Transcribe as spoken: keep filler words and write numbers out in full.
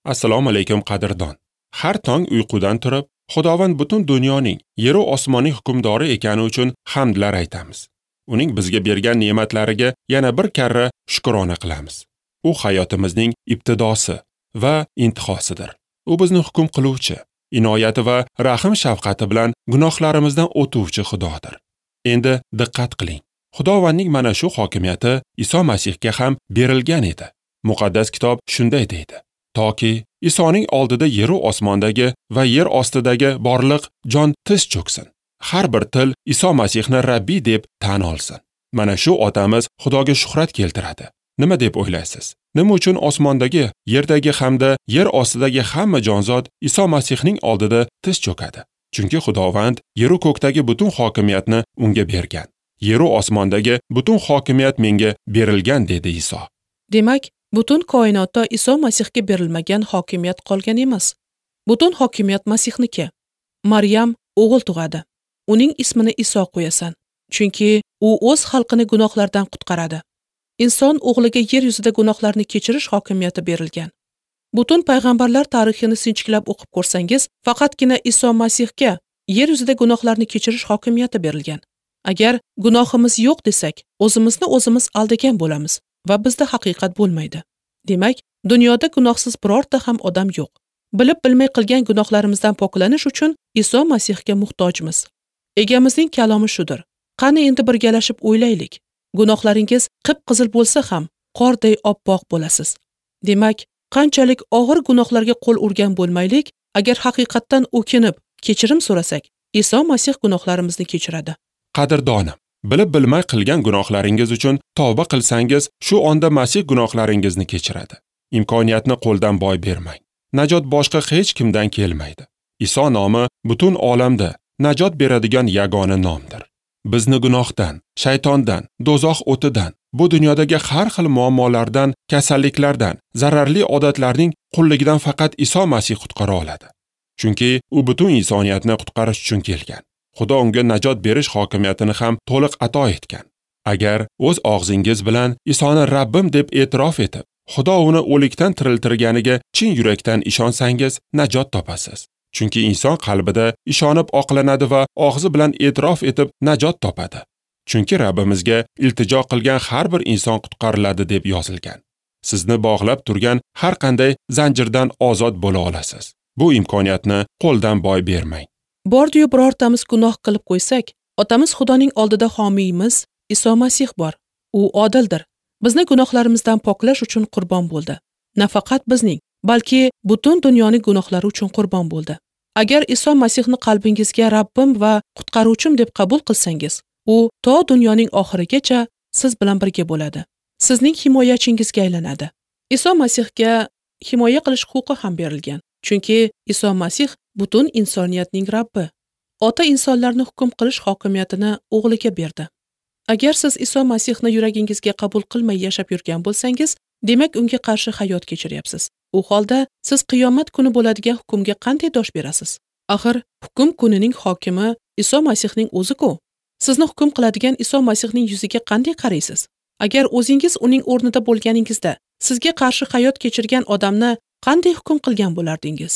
Assalomu alaykum qadrdon. Har tong uyqudan turib, Xudovand butun dunyoning, yer va osmonning hukmdori ekani uchun hamdlar aytamiz. Uning bizga bergan ne'matlariga yana bir karra shukrona qilamiz. U hayotimizning ibtidosi va intihosidir. U bizni hukm qiluvchi, inoyati va rahim shafqati bilan gunohlarimizdan o'tuvchi Xudodir. Endi diqqat qiling. Xudovandning mana shu hokimiyati Iso Masihga ham berilgan edi. Muqaddas kitob shunday deydi: toki Isoning oldida yer va osmondagi va yer ostidagi borliq jon tiz cho'ksin. Har bir til Iso Masihni Rabbi deb tan olsin. Mana shu otamiz Xudoga shuhrat keltiradi. Nima deb o'ylaysiz? Nima uchun osmondagi, yerdagi hamda yer ostidagi hamma jonzot Iso Masihning oldida tiz cho'kadi? Chunki Xudovand yer va ko'kdagi butun hokimiyatni unga bergan. Yer va osmondagi butun hokimiyat menga berilgan, dedi Iso. Demak, butun koinotda Iso Masihga berilmagan hokimiyat qolgan emas. Butun hokimiyat Masihniki. Maryam o'g'il tug'adi. Uning ismini Iso qo'yasan, chunki u o'z xalqini gunohlardan qutqaradi. Inson o'g'liga yer yuzida gunohlarni kechirish hokimiyati berilgan. Butun payg'ambarlar tarixini sinchiklab o'qib ko'rsangiz, faqatgina Iso Masihga yer yuzida gunohlarni kechirish hokimiyati berilgan. Agar gunohimiz yo'q desak, o'zimizni o'zimiz aldagan bo'lamiz va bizda haqiqat bo'lmaydi. Demak, dunyoda gunohsiz birorta ham odam yo'q. Bilib bilmay qilgan gunohlarimizdan poklanish uchun Iso Masihga muhtojmiz. Egamizning kalomi shudir. Qani endi birgalashib o'ylaylik. Gunohlaringiz qip-qizil bo'lsa ham, qorday oppoq bo'lasiz. Demak, qanchalik og'ir gunohlarga qo'l urgan bo'lmaylik, agar haqiqatdan o'kinib, kechirim so'rasak, Iso Masih gunohlarimizni kechiradi. Qadrdonim, bilib bilmay qilgan gunohlaringiz uchun tavba qilsangiz, shu onda Masih gunohlaringizni kechiradi. Imkoniyatni qo'ldan boy bermang. Najot boshqa hech kimdan kelmaydi. Iso nomi butun olamda najot beradigan yagona nomdir. Bizni gunohdan, shaytondan, do'zax o'tidan, bu dunyodagi har xil muammolardan, kasalliklardan, zararli odatlarning qulligidan faqat Iso Masih qutqara oladi. Chunki u butun insoniyatni qutqarish uchun kelgan. Xudo unga najot berish hokimiyatini ham to'liq ato etgan. Agar o'z og'zingiz bilan Isoni Rabbim deb e'tirof etib, Xudo uni o'likdan tiriltirganiga chin yurakdan ishonsangiz, najot topasiz. Chunki inson qalbida ishonib oqlanadi va og'zi bilan e'tirof etib najot topadi. Chunki Rabbimizga iltijo qilgan har bir inson qutqariladi deb yozilgan. Sizni bog'lab turgan har qanday zanjirdan ozod bo'la olasiz. Bu imkoniyatni qo'ldan boy bermang. Bordiyu birortamiz gunoh qilib qo'ysak, otamiz Xudoning oldida homiyimiz Iso Masih bor. U odildir. Bizni gunohlarimizdan poklash uchun qurbon bo'ldi. Nafaqat bizning, balki butun dunyoning gunohlari uchun qurbon bo'ldi. Agar Iso Masihni qalbingizga Rabbim va qutqaruvchim deb qabul qilsangiz, u to dunyoning oxirigacha siz bilan birga bo'ladi. Sizning himoyachingizga aylanadi. Iso Masihga himoya qilish huquqi ham berilgan. Chunki Iso Masih butun insoniyatning Rabbi. Ota insonlarni hukm qilish hokimiyatini o'g'liga berdi. Agar siz Iso Masihni yuragingizga qabul qilmay yashab yurgan bo'lsangiz, demak unga qarshi hayot kechiryapsiz. U holda siz qiyomat kuni bo'ladigan hukmga qanday dosh berasiz? Axir hukm kunining hokimi Iso Masihning o'zi-ku. Sizni hukm qiladigan Iso Masihning yuziga qanday qaraysiz? Agar o'zingiz uning o'rnida bo'lganingizda, sizga qarshi hayot kechirgan odamni qanday hukm qilgan bo'lardingiz?